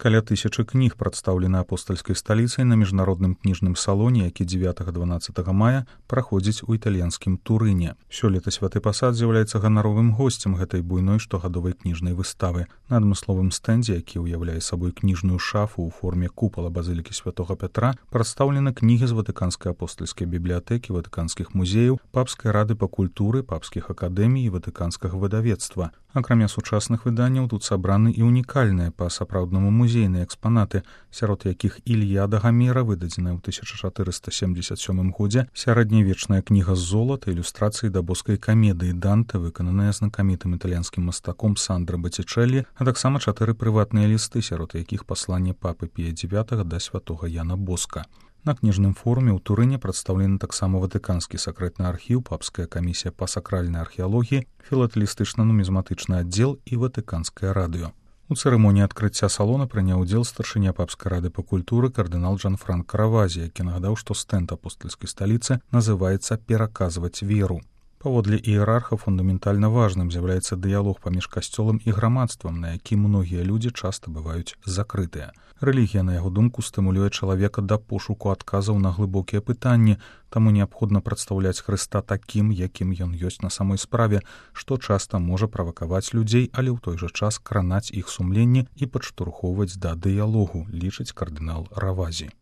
Каля 1000 кніг прадстаўлены апостальскай сталіцай на міжнародным кніжным салоне, які 9-12 мая праходзіць у італьянскім Турыне. Сёлета Святы Пасад з'яўляецца ганаровым госцем гэтай буйной штогадовай кніжнай выставы. На адмысловым стэндзе, які ўяўляе сабой кніжную шафу ў форме купала базылікі святога Пятра, прадстаўлены кнігі з Ватыканскай апостальскай бібліятэкі, ватыканскіх музеяў, папскай рады па культуры, папскіх акадэмій і ватыканскага выдавецтва. Акрамя сучасных выданняў тут сабраны і унікальныя па-сапраўднаму музейныя экспанаты, сярод якіх Ільяда Гамера, выдадзеная ў 1477 годзе, сярэднявечная кніга з золата, ілюстрацыі да боскай камедыі Данте, выкананая знакамітым італьянскім мастаком Сандра Боттичеллі, а таксама 4 прыватныя лісты, сярод якіх пасланне папы Пія IX да святога Яна Боска. На кніжным форуме ў Турыне прадстаўлены таксама Ватыканскі сакрэтны архіў, папская камісія па сакральнай археалогіі, філатэлістычна-нумізматычны аддзел і Ватыканскае радыё. У цырымоніі адкрыцця салона прыняў удзел старшыня папскай рады па культуры кардынал Джанфранк Каравазі, які нагадаў, што стэнд апостальскай сталіцы называецца «Пераказваць веру». Паводле іерарха фундаментальна важным з'яўляецца дыялог паміж касцёлам і грамадствам, на які многія людзі часта бываюць закрытыя. Рэлігія, на яго думку, стымулюе чалавека да пошуку адказаў на глыбокія пытанні, таму неабходна прадстаўляць Хрыста такім, якім ён ёсць на самой справе, што часта можа правакаваць людзей, але ў той жа час кранаць іх сумленне і падштурхоўваць да дыялогу, лічыць кардынал Равазі.